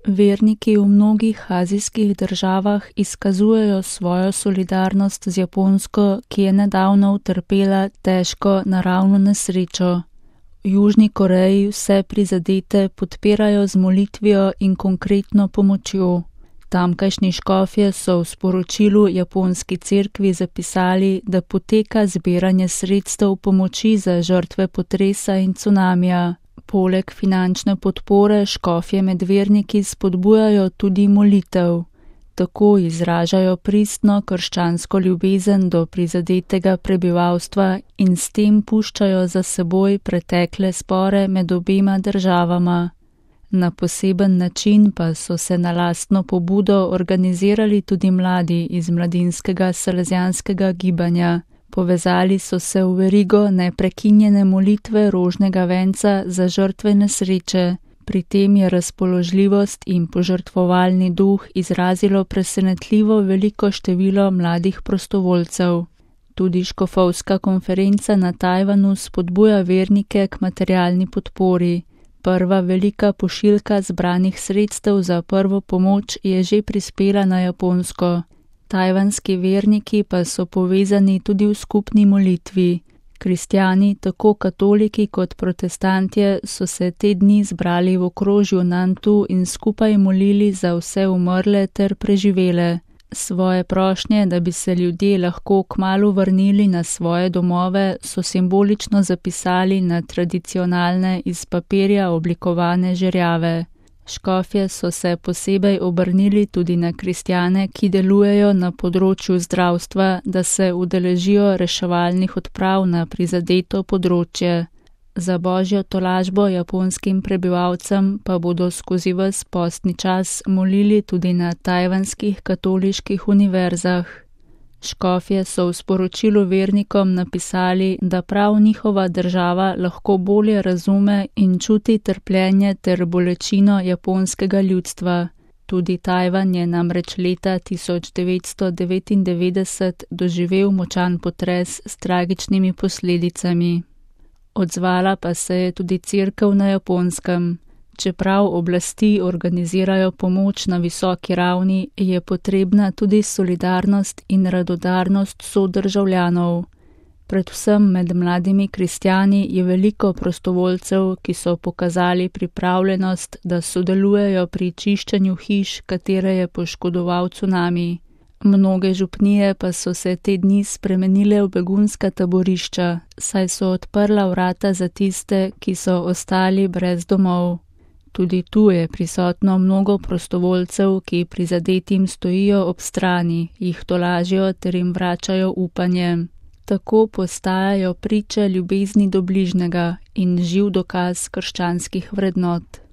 Verniki v mnogih azijskih državah izkazujejo svojo solidarnost z Japonsko, ki je nedavno utrpela težko naravno nesrečo. V Južni Koreji vse prizadete podpirajo z molitvijo in konkretno pomočjo. Tamkajšnji škofje so v sporočilu japonski cerkvi zapisali, da poteka zbiranje sredstev pomoči za žrtve potresa in cunamija. Poleg finančne podpore škofje med verniki spodbujajo tudi molitev. Tako izražajo pristno krščansko ljubezen do prizadetega prebivalstva in s tem puščajo za seboj pretekle spore med obema državama. Na poseben način pa so se na lastno pobudo organizirali tudi mladi iz mladinskega salezjanskega gibanja. Povezali so se v verigo neprekinjene molitve rožnega venca za žrtve nesreče. Pri tem je razpoložljivost in požrtvovalni duh izrazilo presenetljivo veliko število mladih prostovoljcev. Tudi škofovska konferenca na Tajvanu spodbuja vernike k materialni podpori. Prva velika pošiljka zbranih sredstev za prvo pomoč je že prispela na Japonsko. Tajvanski verniki pa so povezani tudi v skupni molitvi. Kristjani, tako katoliki kot protestantje, so se te dni zbrali v okrožju Nantu in skupaj molili za vse umrle ter preživele. Svoje prošnje, da bi se ljudje lahko kmalu vrnili na svoje domove, so simbolično zapisali na tradicionalne iz papirja oblikovane žerjave. Škofje so se posebej obrnili tudi na kristjane, ki delujejo na področju zdravstva, da se udeležijo reševalnih odprav na prizadeto področje. Za božjo tolažbo japonskim prebivalcem pa bodo skozi ves postni čas molili tudi na tajvanskih katoliških univerzah. Škofje so v sporočilu vernikom napisali, da prav njihova država lahko bolje razume in čuti trpljenje ter bolečino japonskega ljudstva. Tudi Tajvan je namreč leta 1999 doživel močan potres s tragičnimi posledicami. Odzvala pa se je tudi cerkev na Japonskem. Čeprav oblasti organizirajo pomoč na visoki ravni, je potrebna tudi solidarnost in radodarnost sodržavljanov. Predvsem med mladimi kristjani je veliko prostovoljcev, ki so pokazali pripravljenost, da sodelujejo pri čiščenju hiš, katere je poškodoval cunami. Mnoge župnije pa so se te dni spremenile v begunska taborišča, saj so odprla vrata za tiste, ki so ostali brez domov. Tudi tu je prisotno mnogo prostovoljcev, ki prizadetim stojijo ob strani, jih tolažijo ter jim vračajo upanje. Tako postajajo priče ljubezni do bližnjega in živ dokaz krščanskih vrednot.